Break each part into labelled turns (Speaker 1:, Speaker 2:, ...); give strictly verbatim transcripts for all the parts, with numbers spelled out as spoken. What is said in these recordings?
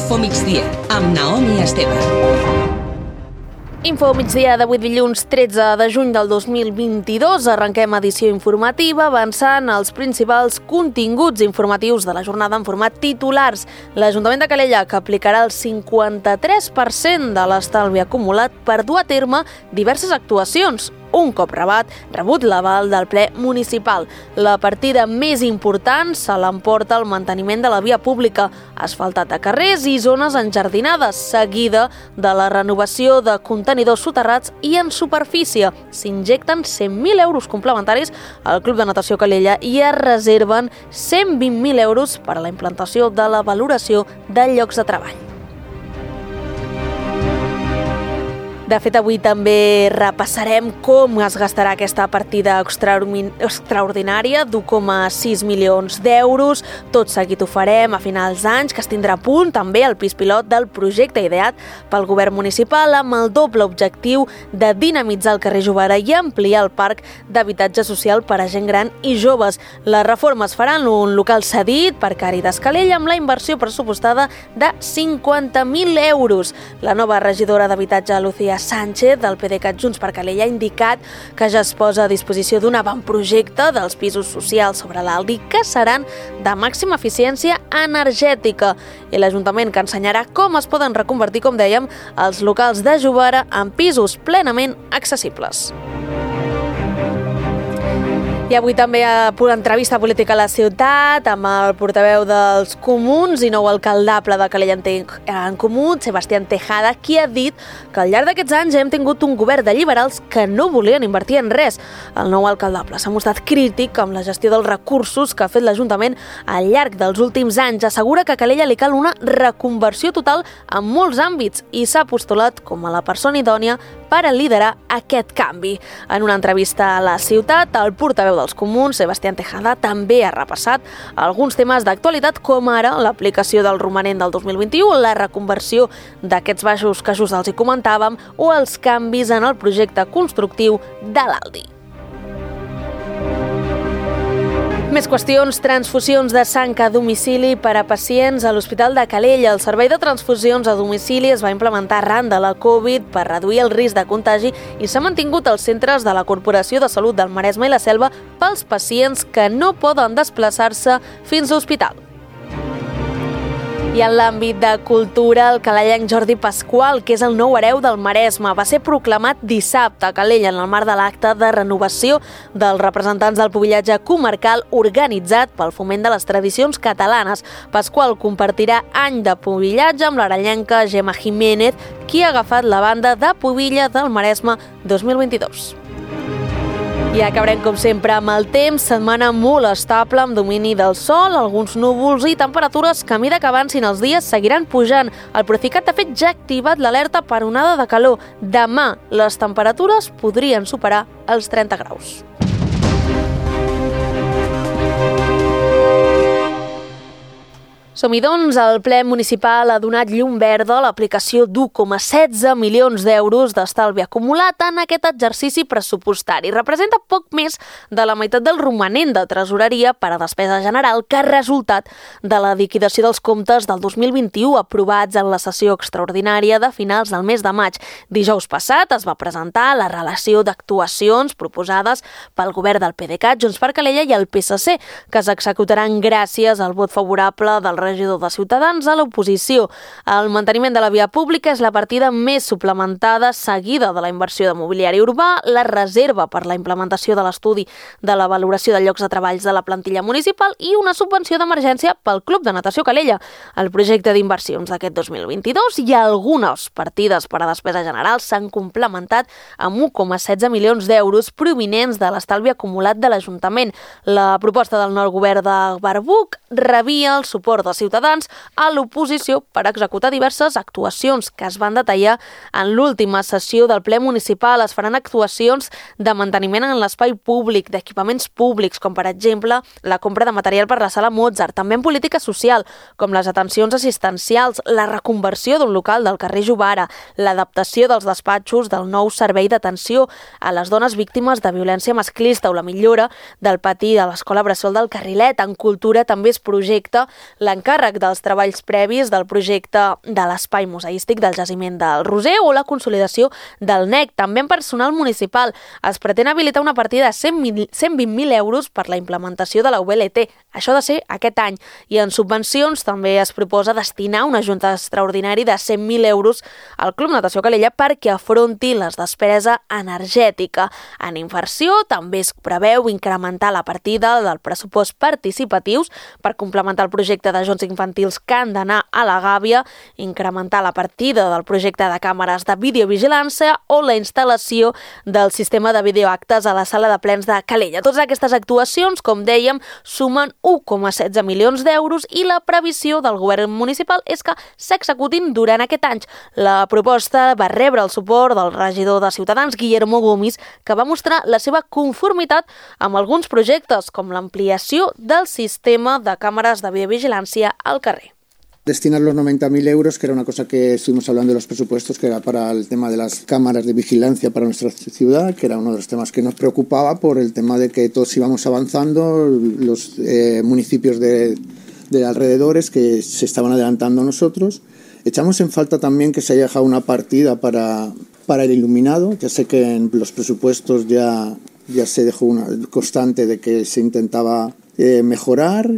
Speaker 1: Info Migdia, amb Naomi Esteve.
Speaker 2: Info Migdia d'avui dilluns tretze de juny del dos mil vint-i-dos. Arrenquem edició informativa avançant els principals continguts informatius de la jornada en format titulars. L'Ajuntament de Calella, que aplicarà el cinquanta-tres per cent de l'estalvi acumulat per dur a terme diverses actuacions. Un cop rebat, rebut l'aval del ple municipal. La partida més important se l'emporta el manteniment de la via pública, asfaltat de carrers i zones enjardinades, seguida de la renovació de contenidors soterrats i en superfície. S'injecten cent mil euros complementaris al Club de Natació Calella i es reserven cent vint mil euros per a la implantació de la valoració de llocs de treball. De fet, avui també repassarem com es gastarà aquesta partida extraordinària d'u coma sis milions d'euros. Tot seguit ho farem a finals d'anys, que es tindrà a punt també el pis pilot del projecte ideat pel govern municipal amb el doble objectiu de dinamitzar el carrer Jovara i ampliar el parc d'habitatge social per a gent gran i joves. La reforma es farà en un local cedit per Càritas Calella amb la inversió pressupostada de cinquanta mil euros. La nova regidora d'habitatge, Lucía Sánchez, del PDeCAT Junts per Calella, ha indicat que ja es posa a disposició d'un avantprojecte dels pisos socials sobre l'Aldi que seran de màxima eficiència energètica, i l'Ajuntament que ensenyarà com es poden reconvertir, com dèiem, els locals de Jovara en pisos plenament accessibles. I avui també a entrevista política a la ciutat amb el portaveu dels Comuns i nou alcaldable de Calella en Comú, Sebastián Tejada, qui ha dit que al llarg d'aquests anys hem tingut un govern de liberals que no volien invertir en res. El nou alcaldable s'ha mostrat crític amb la gestió dels recursos que ha fet l'Ajuntament al llarg dels últims anys. Assegura que a Calella li cal una reconversió total en molts àmbits i s'ha postulat com a la persona idònia per a liderar aquest canvi. En una entrevista a la ciutat, el portaveu dels Comuns, Sebastián Tejada, també ha repassat alguns temes d'actualitat, com ara l'aplicació del romanent del dos mil vint-i-u, la reconversió d'aquests baixos que just els hi comentàvem o els canvis en el projecte constructiu de l'Aldi. Més qüestions, transfusions de sang a domicili per a pacients a l'Hospital de Calella. El servei de transfusions a domicili es va implementar arran de la Covid per reduir el risc de contagi i s'ha mantingut als centres de la Corporació de Salut del Maresme i la Selva pels pacients que no poden desplaçar-se fins a l'hospital. I en l'àmbit de cultura, el calellenc Jordi Pasqual, que és el nou hereu del Maresme, va ser proclamat dissabte a Calella en el marc de l'acte de renovació dels representants del pubillatge comarcal organitzat pel Foment de les Tradicions Catalanes. Pasqual compartirà any de pubillatge amb l'arellenca Gemma Jiménez, qui ha agafat la banda de pubilla del Maresme dos mil vint-i-dos. I acabarem, com sempre, amb el temps. Setmana molt estable, amb domini del sol, alguns núvols i temperatures que a mesura que avancin els dies seguiran pujant. El Procicat, de fet, ja ha activat l'alerta per onada de calor. Demà les temperatures podrien superar els trenta graus. Som-hi, doncs, el ple municipal ha donat llum verda a l'aplicació d'u coma setze milions d'euros d'estalvi acumulat en aquest exercici pressupostari. Representa poc més de la meitat del romanent de tresoreria per a despesa general que ha resultat de la liquidació dels comptes del dos mil vint-i-u aprovats en la sessió extraordinària de finals del mes de maig. Dijous passat es va presentar la relació d'actuacions proposades pel govern del PDeCAT, Junts per Calella i el P S C, que s'executaran gràcies al vot favorable del regidor de Ciutadans a l'oposició. El manteniment de la via pública és la partida més suplementada, seguida de la inversió de mobiliari urbà, la reserva per la implementació de l'estudi de la valoració de llocs de treballs de la plantilla municipal i una subvenció d'emergència pel Club de Natació Calella. El projecte d'inversions d'aquest dos mil vint-i-dos i algunes partides per a despesa general s'han complementat amb u coma setze milions d'euros provinents de l'estalvi acumulat de l'Ajuntament. La proposta del nou govern de Barbuc rebia el suport de Ciutadans a l'oposició per executar diverses actuacions que es van detallar en l'última sessió del ple municipal. Es faran actuacions de manteniment en l'espai públic, d'equipaments públics, com per exemple la compra de material per la sala Mozart, també en política social, com les atencions assistencials, la reconversió d'un local del carrer Jovara, l'adaptació dels despatxos del nou servei d'atenció a les dones víctimes de violència masclista o la millora del pati de l'Escola Bressol del Carrilet. En cultura també es projecta l'encarregat l'encàrrec dels treballs previs del projecte de l'espai museístic del jaciment del Roser o la consolidació del N E C. També en personal municipal es pretén habilitar una partida de cent vint mil euros per la implementació de la U L T. Això ha de ser aquest any. I en subvencions també es proposa destinar una junta extraordinària de cent mil euros al Club Natació Calella perquè afronti les despeses energètica. En inversió també es preveu incrementar la partida del pressupost participatius per complementar el projecte de jocs infantils que han d'anar a la gàbia, incrementar la partida del projecte de càmeres de videovigilància o la instal·lació del sistema de videoactes a la sala de plens de Calella. Totes aquestes actuacions, com dèiem, sumen u coma setze milions d'euros i la previsió del govern municipal és que s'executin durant aquest any. La proposta va rebre el suport del regidor de Ciutadans, Guillermo Gomis, que va mostrar la seva conformitat amb alguns projectes, com l'ampliació del sistema de càmeres de videovigilància al carrer.
Speaker 3: Destinar los noventa mil euros, que era una cosa que estuvimos hablando de los presupuestos, que era para el tema de las cámaras de vigilancia para nuestra ciudad, que era uno de los temas que nos preocupaba por el tema de que todos íbamos avanzando, los eh, municipios de, de alrededores que se estaban adelantando a nosotros. Echamos en falta también que se haya dejado una partida para, para el iluminado. Ya sé que en los presupuestos ya, ya se dejó una constante de que se intentaba eh, mejorar.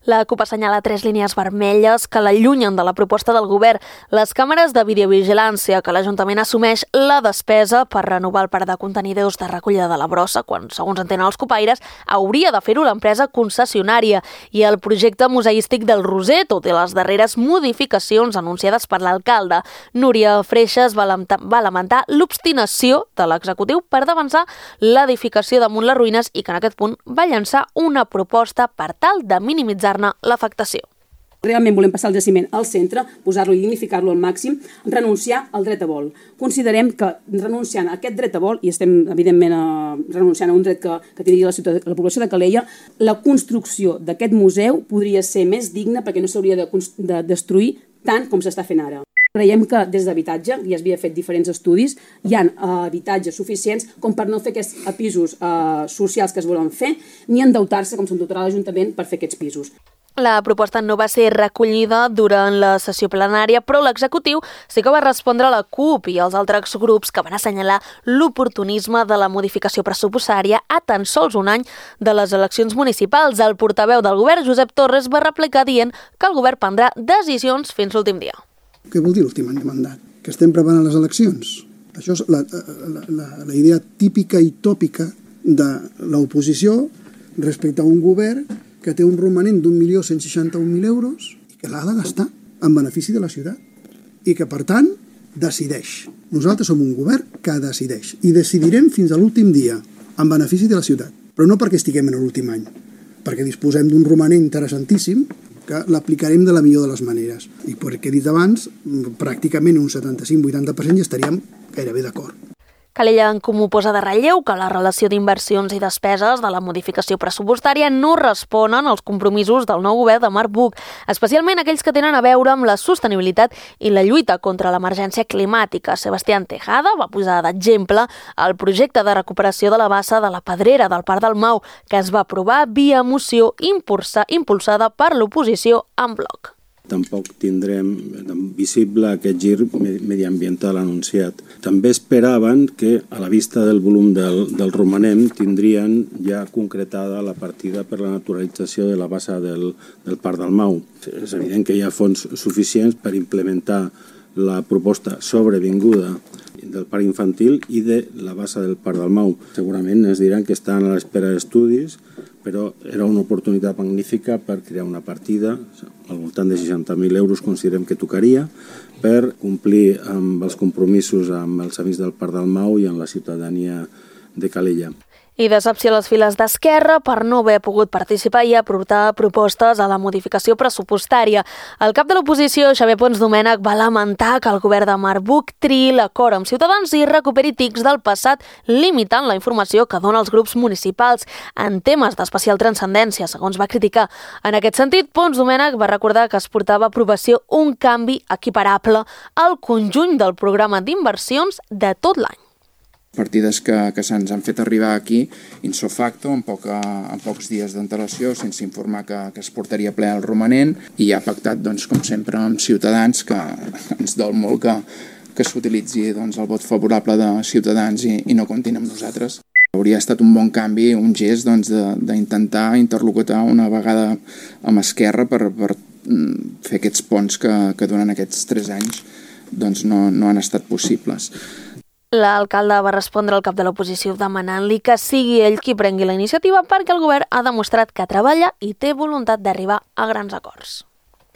Speaker 2: La CUP assenyala tres línies vermelles que l'allunyen de la proposta del govern. Les càmeres de videovigilància, que l'Ajuntament assumeix la despesa per renovar el parc de contenidors de recollida de la brossa, quan, segons entenen els copaires, hauria de fer-ho l'empresa concessionària. I el projecte museístic del Roser, tot i les darreres modificacions anunciades per l'alcalde. Núria Freixas va lamentar l'obstinació de l'executiu per d'avançar l'edificació damunt les ruïnes i que en aquest punt va llançar una proposta per tal de minimitzar l'afectació.
Speaker 4: Realment volem passar el jaciment al centre, posar-lo i dignificar-lo al màxim, renunciar al dret a vol. Considerem que renunciant a aquest dret a vol, i estem evidentment eh, renunciant a un dret que, que tindria la, ciutat, la població de Calella, la construcció d'aquest museu podria ser més digna perquè no s'hauria de, de destruir tant com s'està fent ara. Creiem que des d'habitatge, i es havia fet diferents estudis, hi ha uh, habitatges suficients com per no fer aquests pisos uh, socials que es volen fer, ni endeutar-se com s'endeutarà l'Ajuntament per fer aquests pisos.
Speaker 2: La proposta no va ser recollida durant la sessió plenària, però l'executiu sí que va respondre a la CUP i als altres grups que van assenyalar l'oportunisme de la modificació pressupostària a tan sols un any de les eleccions municipals. El portaveu del govern, Josep Torres, va replicar dient que el govern prendrà decisions fins l'últim dia.
Speaker 5: Què vol dir l'últim any de mandat? Que estem preparant les eleccions. Això és la, la, la, la idea típica i tòpica de l'oposició respecte a un govern que té un romanent d'un milió cent seixanta-un mil euros i que l'ha de gastar en benefici de la ciutat i que, per tant, decideix. Nosaltres som un govern que decideix i decidirem fins a l'últim dia en benefici de la ciutat, però no perquè estiguem en l'últim any, perquè disposem d'un romanent interessantíssim que l'aplicarem de la millor de les maneres. I perquè he dit abans, pràcticament un setanta-cinc vuitanta per cent ja estaríem gairebé d'acord.
Speaker 2: Calella en Comú posa de relleu que la relació d'inversions i despeses de la modificació pressupostària no responen als compromisos del nou govern de Marc Buch, especialment aquells que tenen a veure amb la sostenibilitat i la lluita contra l'emergència climàtica. Sebastián Tejada va posar d'exemple el projecte de recuperació de la bassa de la Pedrera del Parc del Mau, que es va aprovar via moció impulsa, impulsada per l'oposició en bloc.
Speaker 6: Tampoc tindrem visible aquest gir mediambiental anunciat. També esperaven que, a la vista del volum del, del romanent, tindrien ja concretada la partida per la naturalització de la bassa del, del Parc del Mau. És evident que hi ha fons suficients per implementar la proposta sobrevinguda del parc infantil i de la bassa del Parc del Mau. Segurament ens diran que estan a l'espera d'estudis, però era una oportunitat magnífica per crear una partida, al voltant de seixanta mil euros considerem que tocaria, per complir amb els compromisos amb els amics del Parc del Mau i amb la ciutadania de Calella.
Speaker 2: I decepció a les files d'Esquerra per no haver pogut participar i aportar propostes a la modificació pressupostària. El cap de l'oposició, Xavier Pons Domènech, va lamentar que el govern de Marc Buch triï l'acord amb Ciutadans i recuperi tics del passat, limitant la informació que dona als grups municipals en temes d'especial transcendència, segons va criticar. En aquest sentit, Pons Domènech va recordar que es portava a aprovació un canvi equiparable al conjunt del programa d'inversions de tot l'any.
Speaker 7: Partides que, que se'ns han fet arribar aquí in-so facto, en, poca, en pocs dies d'antelació, sense informar que, que es portaria ple al romanent, i ha pactat, doncs, com sempre, amb Ciutadans, que ens dol molt que, que s'utilitzi doncs, el vot favorable de Ciutadans i, i no comptin amb nosaltres. Hauria estat un bon canvi, un gest doncs, d'intentar interlocutar una vegada amb Esquerra per, per fer aquests ponts que, que durant aquests tres anys doncs, no, no han estat possibles.
Speaker 2: L'alcalde va respondre al cap de l'oposició demanant-li que sigui ell qui prengui la iniciativa perquè el govern ha demostrat que treballa i té voluntat d'arribar a grans acords.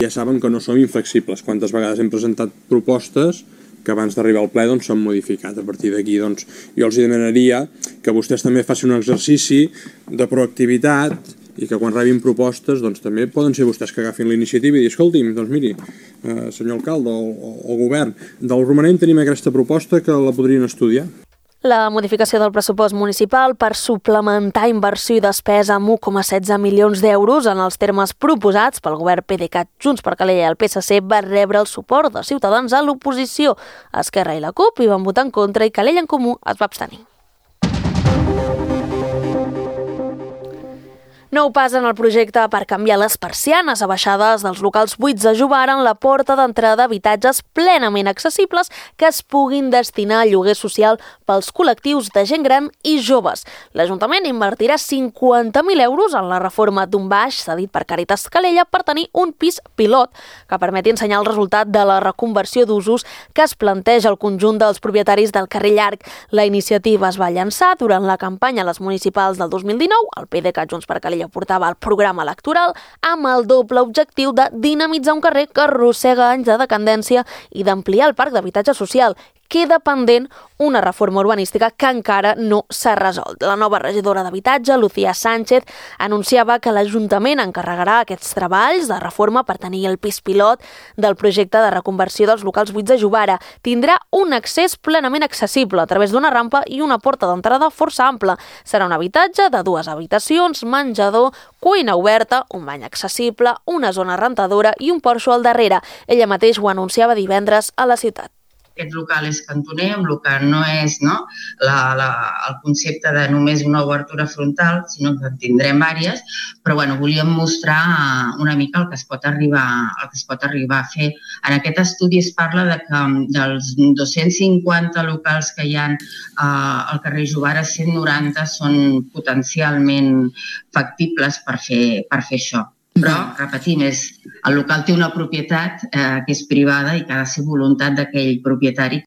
Speaker 8: Ja saben que no som inflexibles. Quantes vegades hem presentat propostes que abans d'arribar al ple doncs, s'han modificat. A partir d'aquí doncs, jo els demanaria que vostès també facin un exercici de proactivitat i que quan rebin propostes doncs, també poden ser vostès que agafin la iniciativa i dir, escolti'm, doncs miri, eh, senyor alcalde o, o, o govern, del romanent tenim aquesta proposta que la podrien estudiar.
Speaker 2: La modificació del pressupost municipal per suplementar inversió i despesa amb un coma setze milions d'euros en els termes proposats pel govern PDeCAT, Junts per Calella i el P S C va rebre el suport de Ciutadans a l'oposició. Esquerra i la CUP hi van votar en contra i Calella en Comú es va abstenir. Nou pas en el projecte per canviar les persianes abaixades dels locals buits de Jovara en la porta d'entrada d'habitatges plenament accessibles que es puguin destinar a lloguer social pels col·lectius de gent gran i joves. L'Ajuntament invertirà cinquanta mil euros en la reforma d'un baix cedit per Càritas Calella per tenir un pis pilot que permeti ensenyar el resultat de la reconversió d'usos que es planteja al conjunt dels propietaris del carrer Llarg. La iniciativa es va llançar durant la campanya a les municipals del dos mil dinou. El PDeCAT Junts per Calella portava el programa electoral amb el doble objectiu de dinamitzar un carrer que arrossega anys de decadència i d'ampliar el parc d'habitatge social. Queda pendent una reforma urbanística que encara no s'ha resolt. La nova regidora d'Habitatge, Lucía Sánchez, anunciava que l'Ajuntament encarregarà aquests treballs de reforma per tenir el pis pilot del projecte de reconversió dels locals buits de Jovara. Tindrà un accés plenament accessible a través d'una rampa i una porta d'entrada força ampla. Serà un habitatge de dues habitacions, menjador, cuina oberta, un bany accessible, una zona rentadora i un porxo al darrere. Ella mateix ho anunciava divendres a la ciutat.
Speaker 9: Aquest local és cantoner, un local no és no, la, la, el concepte de només una obertura frontal, sinó que en tindrem diverses, però bueno, volíem mostrar una mica el que es pot arribar, el que es pot arribar a fer. En aquest estudi es parla de que dels dos-cents cinquanta locals que hi ha eh, al carrer Jovara, cent noranta són potencialment factibles per fer, per fer això. Però, repetim, és, el local té una propietat eh, que és privada i que ha de ser voluntat d'aquell propietari.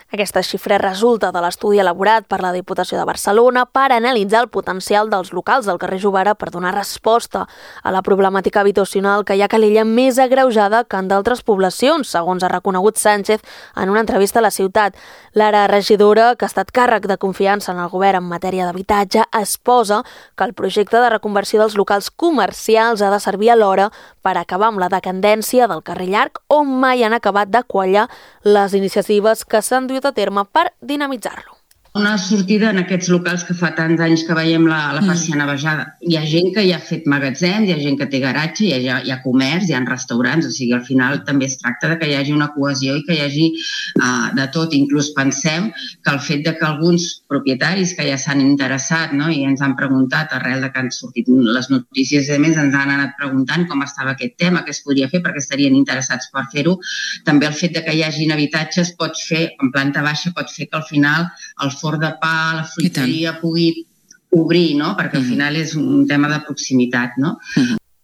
Speaker 2: Aquesta xifra resulta de l'estudi elaborat per la Diputació de Barcelona per analitzar el potencial dels locals del carrer Jovara per donar resposta a la problemàtica habitacional que hi ha a Calella més agreujada que en d'altres poblacions, segons ha reconegut Sánchez en una entrevista a la ciutat. L'ara regidora, que ha estat càrrec de confiança en el govern en matèria d'habitatge, exposa que el projecte de reconversió dels locals comercials ha de servir alhora per acabar amb la decadència del carrer Llarg, on mai han acabat de quallar les iniciatives que s'han duit a terme per dinamitzar-lo.
Speaker 9: Una sortida en aquests locals que fa tants anys que veiem la, la persiana baixada. Hi ha gent que hi ha fet magatzems, hi ha gent que té garatge, hi ha, hi ha comerç, hi ha restaurants, o sigui, al final també es tracta de que hi hagi una cohesió i que hi hagi uh, de tot. Inclús pensem que el fet de que alguns propietaris que ja s'han interessat, no, i ens han preguntat arrel de que han sortit les notícies, a més ens han anat preguntant com estava aquest tema, què es podria fer perquè estarien interessats per fer-ho. També el fet de que hi hagin habitatges pot fer, en planta baixa, pot fer que al final el forn de pa, la fruiteria pugui obrir, no? Perquè al final és un tema de proximitat, no?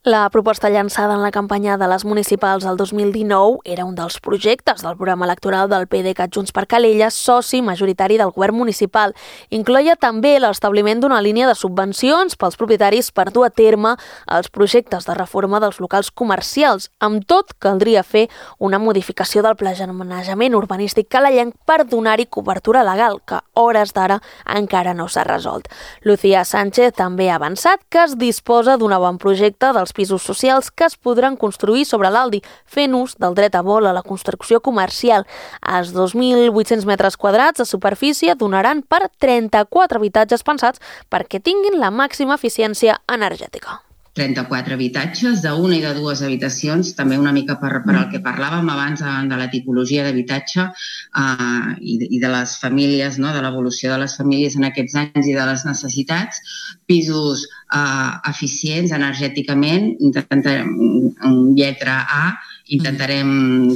Speaker 2: La proposta llançada en la campanya de les municipals del dos mil dinou era un dels projectes del programa electoral del PDeCAT Junts per Calella, soci majoritari del govern municipal. Incloïa també l'establiment d'una línia de subvencions pels propietaris per dur a terme els projectes de reforma dels locals comercials. Amb tot, caldria fer una modificació del planejament urbanístic calellenc per donar-hi cobertura legal, que a hores d'ara encara no s'ha resolt. Lucía Sánchez també ha avançat que es disposa d'un avantprojecte dels pisos socials que es podran construir sobre l'Aldi, fent ús del dret a vol a la construcció comercial. Els dos mil vuit-cents metres quadrats de superfície donaran per trenta-quatre habitatges pensats perquè tinguin la màxima eficiència energètica.
Speaker 9: trenta-quatre habitatges, d'una i de dues habitacions, també una mica per, per al que parlàvem abans de la tipologia d'habitatge eh, i, i de les famílies, no? De l'evolució de les famílies en aquests anys i de les necessitats, pisos eh, eficients energèticament, en lletra A, intentarem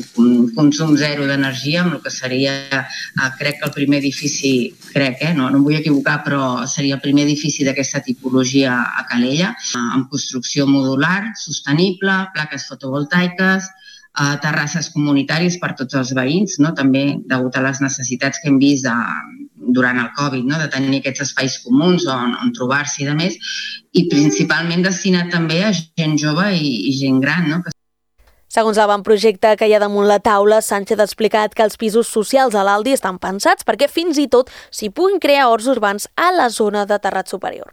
Speaker 9: consum zero d'energia, amb el que seria, eh, crec que el primer edifici, crec, eh, no, no em vull equivocar, però seria el primer edifici d'aquesta tipologia a Calella, eh, amb construcció modular, sostenible, plaques fotovoltaiques, eh, terrasses comunitàries per tots els veïns, no? També degut a les necessitats que hem vist de, durant el Covid, no? De tenir aquests espais comuns on, on trobar-s'hi i de més, i principalment destinat també a gent jove i, i gent gran, no?
Speaker 2: Segons l'avantprojecte que hi ha damunt la taula, Sánchez ha explicat que els pisos socials a l'Aldi estan pensats perquè fins i tot s'hi puguin crear horts urbans a la zona de terrat superior.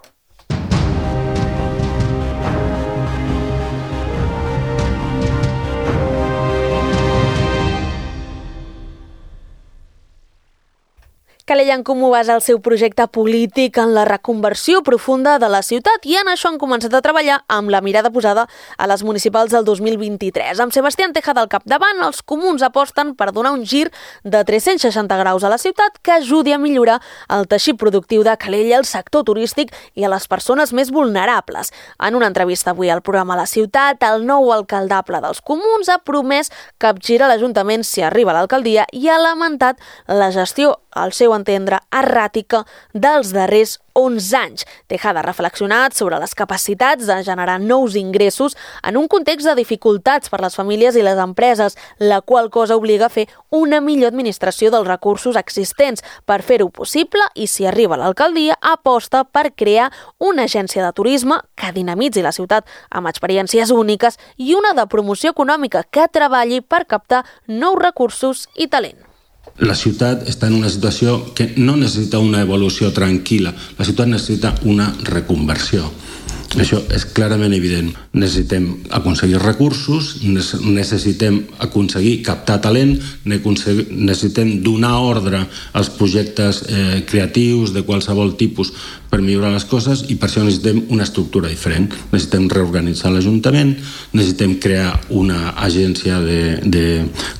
Speaker 2: Calella en Comú basa el seu projecte polític en la reconversió profunda de la ciutat i en això han començat a treballar amb la mirada posada a les municipals del dos mil vint-i-tres. Amb Sebastián Tejada al capdavant, els comuns aposten per donar un gir de tres-cents seixanta graus a la ciutat que ajudi a millorar el teixit productiu de Calella, el sector turístic i a les persones més vulnerables. En una entrevista avui al programa La Ciutat, el nou alcaldable dels comuns ha promès capgirar l'Ajuntament si arriba a l'alcaldia i ha lamentat la gestió, al seu entendre, erràtica dels darrers onze anys. Tejada ha reflexionat sobre les capacitats de generar nous ingressos en un context de dificultats per les famílies i les empreses, la qual cosa obliga a fer una millor administració dels recursos existents. Per fer-ho possible, i si arriba a l'alcaldia, aposta per crear una agència de turisme que dinamitzi la ciutat amb experiències úniques i una de promoció econòmica que treballi per captar nous recursos i talent.
Speaker 10: La ciutat està en una situació que no necessita una evolució tranquil·la, la ciutat necessita una reconversió. Això és clarament evident. Necessitem aconseguir recursos, necessitem aconseguir captar talent, necessitem donar ordre als projectes eh, creatius de qualsevol tipus per millorar les coses i per això necessitem una estructura diferent. Necessitem reorganitzar l'Ajuntament, necessitem crear una agència de, de,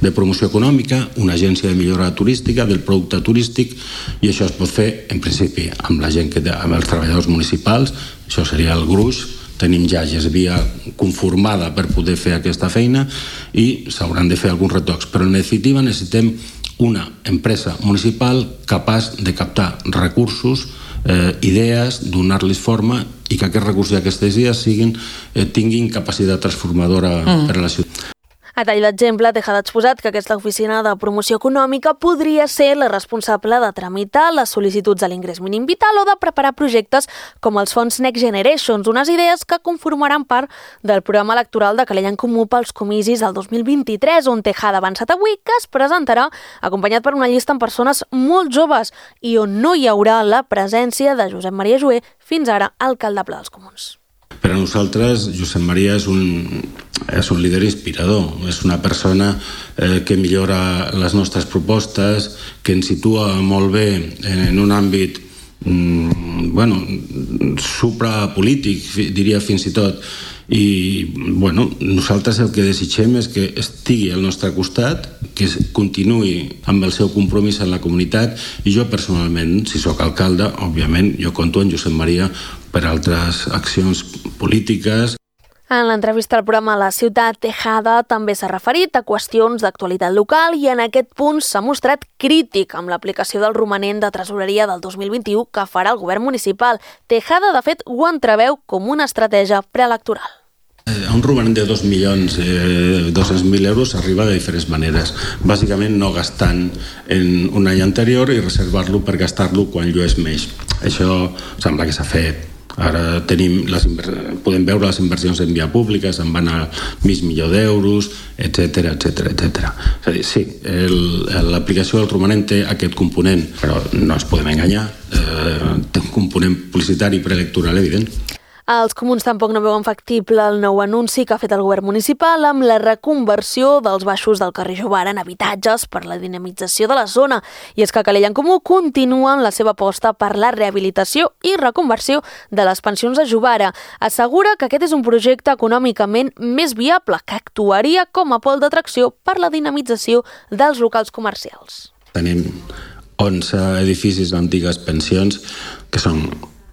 Speaker 10: de promoció econòmica, una agència de millora turística, del producte turístic, i això es pot fer, en principi, amb la gent que té, amb els treballadors municipals. Això seria el gruix. Tenim ja gesvia conformada per poder fer aquesta feina i s'hauran de fer alguns retocs, però en definitiva necessitem una empresa municipal capaç de captar recursos, eh, idees, donar-los forma i que aquests recursos i aquestes idees siguin, eh, tinguin capacitat transformadora mm. per a la ciutat.
Speaker 2: A tall d'exemple, Tejada ha exposat que aquesta oficina de promoció econòmica podria ser la responsable de tramitar les sol·licituds a l'ingrés mínim vital o de preparar projectes com els fons Next Generations, unes idees que conformaran part del programa electoral de Calella en Comú pels comicis del dos mil vint-i-tres, on Tejada ha avançat avui que es presentarà acompanyat per una llista amb persones molt joves i on no hi haurà la presència de Josep Maria Jover, fins ara alcaldable dels comuns.
Speaker 10: Per a nosaltres, Josep Maria és un, és un líder inspirador, és una persona eh, que millora les nostres propostes, que ens situa molt bé en un àmbit mm, bueno, suprapolític, diria fins i tot, i bueno, nosaltres el que desitgem és que estigui al nostre costat, que continuï amb el seu compromís en la comunitat, i jo personalment, si sóc alcalde, òbviament jo compto en Josep Maria per altres accions polítiques.
Speaker 2: En l'entrevista al programa La Ciutat, Tejada també s'ha referit a qüestions d'actualitat local i en aquest punt s'ha mostrat crític amb l'aplicació del romanent de tresoreria del dos mil vint-i-u que farà el govern municipal. Tejada, de fet, ho entreveu com una estratègia preelectoral.
Speaker 10: A un romanent de dos milions dos-cents mil euros s'arriba de diferents maneres. Bàsicament no gastant en un any anterior i reservar-lo per gastar-lo quan llueix més. Això sembla que s'ha fet. Ara tenim les podem veure les inversions en via pública, se'n van a mig milió d'euros, etcètera, etcètera, etcètera. És a dir, sí, l'aplicació del romanent té aquest component, però no ens podem enganyar, eh, té un component publicitari preelectoral evident.
Speaker 2: Els comuns tampoc no veuen factible el nou anunci que ha fet el govern municipal amb la reconversió dels baixos del carrer Jovara en habitatges per la dinamització de la zona. I és que Calella en Comú continua amb la seva aposta per la rehabilitació i reconversió de les pensions de Jovara. Assegura que aquest és un projecte econòmicament més viable, que actuaria com a pol d'atracció per la dinamització dels locals comercials.
Speaker 10: Tenim onze edificis d'antigues pensions que són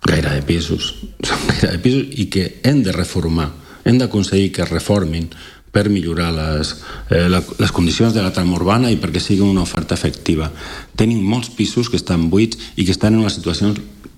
Speaker 10: gaire de pisos, són gaire de pisos i que hem de reformar, hem d'aconseguir que es reformin per millorar les, eh, les condicions de la trama urbana i perquè sigui una oferta efectiva. Tenim molts pisos que estan buits i que estan en una situació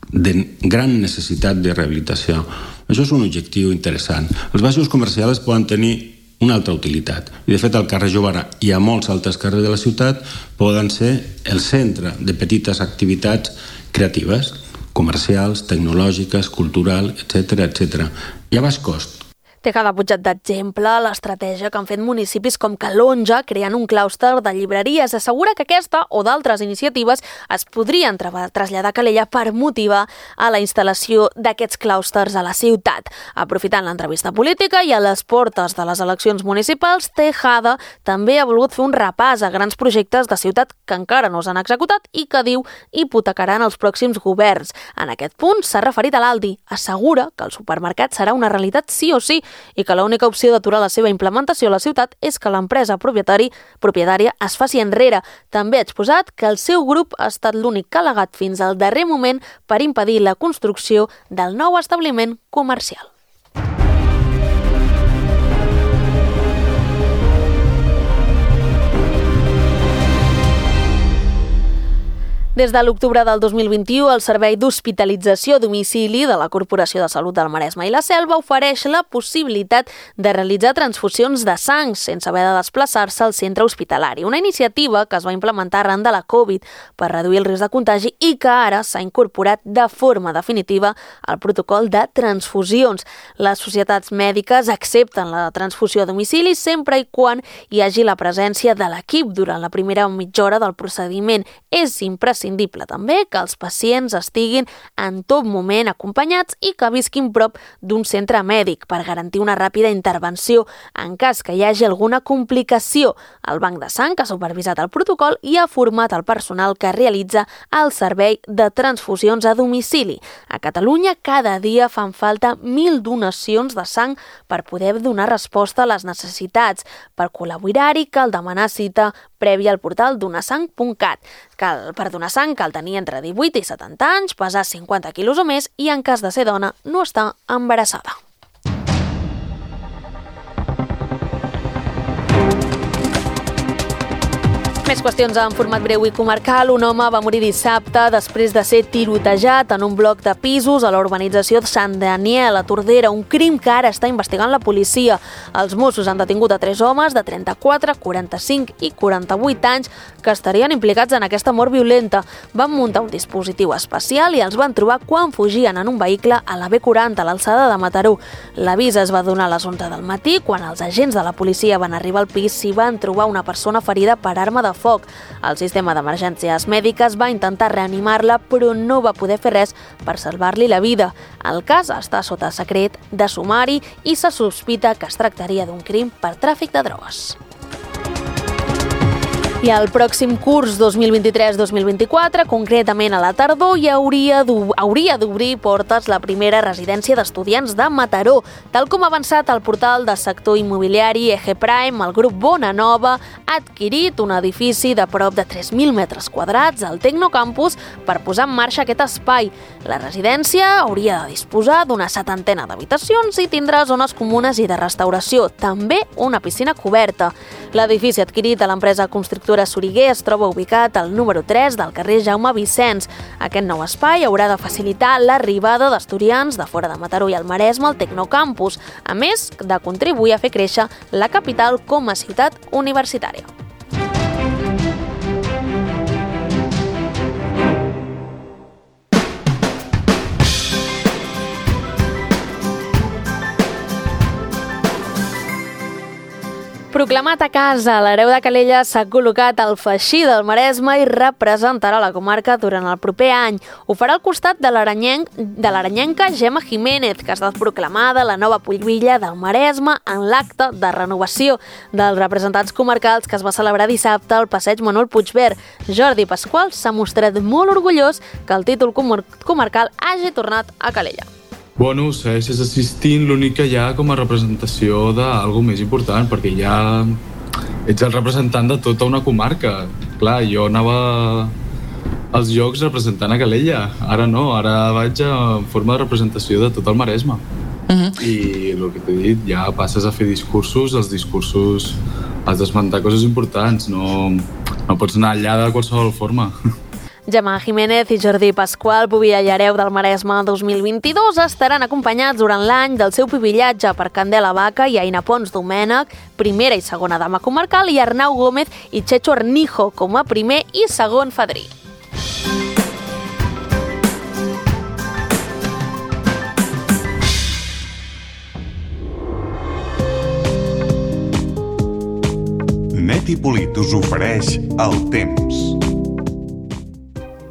Speaker 10: de gran necessitat de rehabilitació. Això és un objectiu interessant. Els baixos comercials poden tenir una altra utilitat. I de fet al carrer Jovara i a molts altres carrers de la ciutat poden ser el centre de petites activitats creatives, comercials, tecnològiques, cultural, etcètera, etcètera. I a baix cost.
Speaker 2: Té cada pujat d'exemple l'estratègia que han fet municipis com Calonja, creant un clúster de llibreries. Assegura que aquesta o d'altres iniciatives es podrien traslladar a Calella per motivar a la instal·lació d'aquests clústers a la ciutat. Aprofitant l'entrevista política i a les portes de les eleccions municipals, Tejada també ha volgut fer un repàs a grans projectes de ciutat que encara no s'han executat i que diu hipotecaran els pròxims governs. En aquest punt s'ha referit a l'Aldi. Assegura que el supermercat serà una realitat sí o sí i que l'única opció d'aturar la seva implementació a la ciutat és que l'empresa propietari, propietària es faci enrere. També ha exposat que el seu grup ha estat l'únic que ha alegat fins al darrer moment per impedir la construcció del nou establiment comercial. Des de l'octubre del dos mil vint-i-u, el Servei d'Hospitalització a Domicili de la Corporació de Salut del Maresme i la Selva ofereix la possibilitat de realitzar transfusions de sang sense haver de desplaçar-se al centre hospitalari. Una iniciativa que es va implementar arran de la Covid per reduir el risc de contagi i que ara s'ha incorporat de forma definitiva al protocol de transfusions. Les societats mèdiques accepten la transfusió a domicili sempre i quan hi hagi la presència de l'equip durant la primera mitja hora del procediment. És imprescindible imprescindible també que els pacients estiguin en tot moment acompanyats i que visquin prop d'un centre mèdic per garantir una ràpida intervenció en cas que hi hagi alguna complicació. El Banc de Sang ha supervisat el protocol i ha format el personal que realitza el servei de transfusions a domicili. A Catalunya cada dia fan falta mil donacions de sang per poder donar resposta a les necessitats. Per col·laborar-hi cal demanar cita prèvia al portal donasang punt cat. Cal, per donar sang cal tenir entre divuit i setanta anys, pesar cinquanta quilos o més i en cas de ser dona no estar embarassada. Més qüestions en format breu i comarcal. Un home va morir dissabte després de ser tirotejat en un bloc de pisos a la urbanització de Sant Daniel, a Tordera, un crim que ara està investigant la policia. Els Mossos han detingut a tres homes de trenta-quatre, quaranta-cinc i quaranta-vuit anys que estarien implicats en aquesta mort violenta. Van muntar un dispositiu especial i els van trobar quan fugien en un vehicle a la B quaranta, a l'alçada de Mataró. L'avís es va donar a les onze del matí, quan els agents de la policia van arribar al pis i van trobar una persona ferida per arma de foc. El sistema d'emergències mèdiques va intentar reanimar-la, però no va poder fer res per salvar-li la vida. El cas està sota secret de sumari i se sospita que es tractaria d'un crim per tràfic de drogues. I el pròxim curs dos mil vint-i-tres dos mil vint-i-quatre, concretament a la tardor, hi hauria d'obrir portes la primera residència d'estudiants de Mataró. Tal com ha avançat el portal de sector immobiliari Eje Prime, el grup Bona Nova ha adquirit un edifici de prop de tres mil metres quadrats al Tecnocampus per posar en marxa aquest espai. La residència hauria de disposar d'una setantena d'habitacions i tindrà zones comunes i de restauració, també una piscina coberta. L'edifici adquirit a l'empresa constructora Soriguer es troba ubicat al número tres del carrer Jaume Vicens. Aquest nou espai haurà de facilitar l'arribada d'estudiants de fora de Mataró i el Maresme al Tecnocampus, a més de contribuir a fer créixer la capital com a ciutat universitària. Proclamat a casa, l'hereu de Calella s'ha col·locat al Faixí del Maresme i representarà la comarca durant el proper any. Ho farà al costat de l'aranyenc, de l'aranyenca Gemma Jiménez, que ha estat proclamada la nova pulvilla del Maresme en l'acte de renovació dels representants comarcals que es va celebrar dissabte al passeig Manuel Puigvert. Jordi Pasqual s'ha mostrat molt orgullós que el títol comar- comarcal hagi tornat a Calella.
Speaker 11: Bueno, segueixes assistint, l'únic que hi ha com a representació d'algú més important, perquè ja ets el representant de tota una comarca. Clar, jo anava als Jocs representant a Calella, ara no, ara vaig en forma de representació de tot el Maresme. Uh-huh. I el que t'he dit, ja passes a fer discursos, els discursos has d'esmentar coses importants, no, no pots anar allà de qualsevol forma.
Speaker 2: Gemma Jiménez i Jordi Pasqual, pubilla i hereu del Maresme dos mil vint-i-dos, estaran acompanyats durant l'any del seu pubillatge per Candela Vaca i Aina Pons Domènech, primera i segona dama comarcal, i Arnau Gómez i Checho Arnijo com a primer i segon fadrí.
Speaker 12: Net i Polit us ofereix el temps.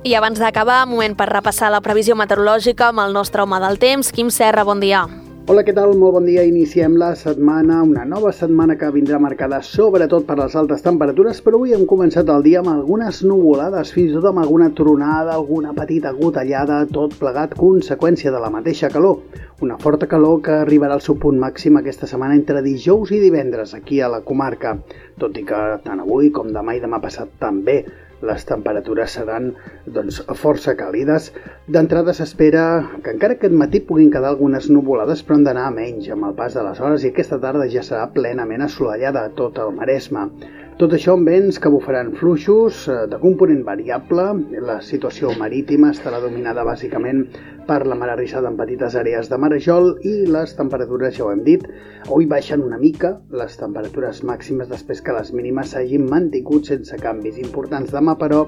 Speaker 2: I abans d'acabar, moment per repassar la previsió meteorològica amb el nostre home del temps, Quim Serra, bon dia.
Speaker 13: Hola, què tal? Molt bon dia. Iniciem la setmana, una nova setmana que vindrà marcada sobretot per les altes temperatures, però avui hem començat el dia amb algunes nuvolades, fins i tot amb alguna tronada, alguna petita gotellada, tot plegat conseqüència de la mateixa calor. Una forta calor que arribarà al seu punt màxim aquesta setmana entre dijous i divendres aquí a la comarca, tot i que tant avui com demà i demà passat també les temperatures seran doncs, força càlides. D'entrada s'espera que encara aquest matí puguin quedar algunes nuvolades, però han d'anar a menys amb el pas de les hores i aquesta tarda ja serà plenament assolellada a tot el Maresme. Tot això amb vents que bufaran fluixos de component variable. La situació marítima estarà dominada bàsicament per la mar arrissada en petites àrees de marejol i les temperatures, ja ho hem dit, avui baixen una mica les temperatures màximes després que les mínimes s'hagin mantingut sense canvis importants. Demà, però,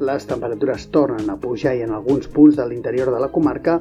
Speaker 13: les temperatures tornen a pujar i en alguns punts de l'interior de la comarca,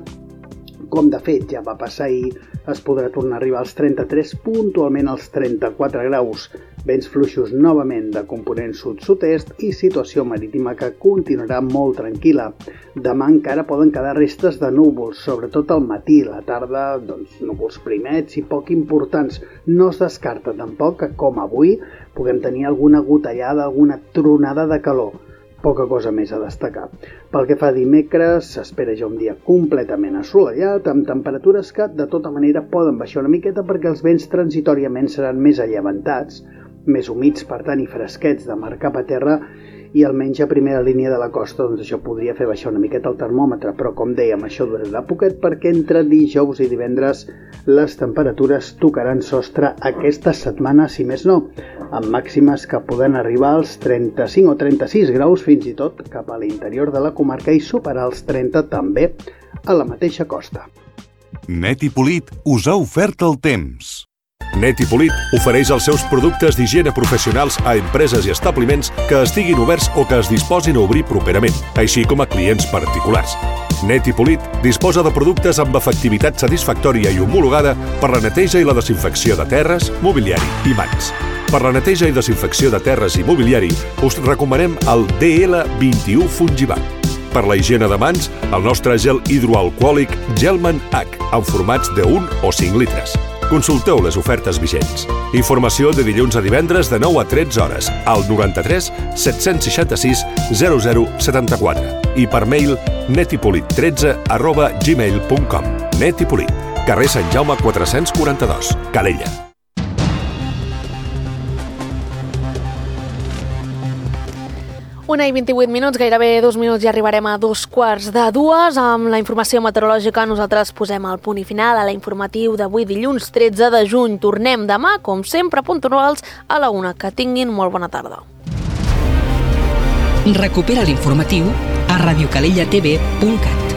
Speaker 13: com de fet ja va passar ahir, es podrà tornar a arribar als trenta-tres, puntualment als trenta-quatre graus. Vents fluixos novament de component sud-sud-est i situació marítima que continuarà molt tranquil·la. Demà encara poden quedar restes de núvols, sobretot al matí. La tarda, doncs, núvols primets i poc importants. No es descarta tampoc que, com avui, puguem tenir alguna gotellada, alguna tronada de calor. Poca cosa més a destacar. Pel que fa a dimecres, s'espera ja un dia completament assolellat, amb temperatures que, de tota manera, poden baixar una miqueta perquè els vents transitoriament seran més allevantats, més humits, per tant, i fresquets de mar cap a terra, i almenys a primera línia de la costa, doncs això podria fer baixar una miqueta el termòmetre, però com dèiem, això durarà poquet perquè entre dijous i divendres les temperatures tocaran sostre aquesta setmana, si més no, amb màximes que poden arribar als trenta-cinc o trenta-sis graus, fins i tot cap a l'interior de la comarca, i superar els trenta també a la mateixa costa.
Speaker 12: Net i Polit us ha ofert el temps. Net i Polit ofereix els seus productes d'higiene professionals a empreses i establiments que estiguin oberts o que es disposin a obrir properament, així com a clients particulars. Net i Polit disposa de productes amb efectivitat satisfactòria i homologada per la neteja i la desinfecció de terres, mobiliari i mans. Per la neteja i desinfecció de terres i mobiliari us recomanem el D L vint-i-u Fungivac. Per la higiene de mans, el nostre gel hidroalcohòlic Gelman H, en formats de un o cinc litres. Consulteu les ofertes vigents. Informació de dilluns a divendres de nou a tretze hores al noranta-tres set-cents seixanta-sis zero zero setanta-quatre i per mail netipolit tretze arroba gmail punt com. Net i Polit, carrer Sant Jaume quatre-cents quaranta-dos, Calella.
Speaker 2: Una i vint-i-vuit minuts, gairebé dos minuts i arribarem a dos quarts de dues. Amb la informació meteorològica nosaltres posem el punt i final a l'informatiu d'avui dilluns tretze de juny. Tornem demà, com sempre, puntuals a la una. Que tinguin molt bona tarda.
Speaker 1: Recupera l'informatiu a radiocalellatv punt cat.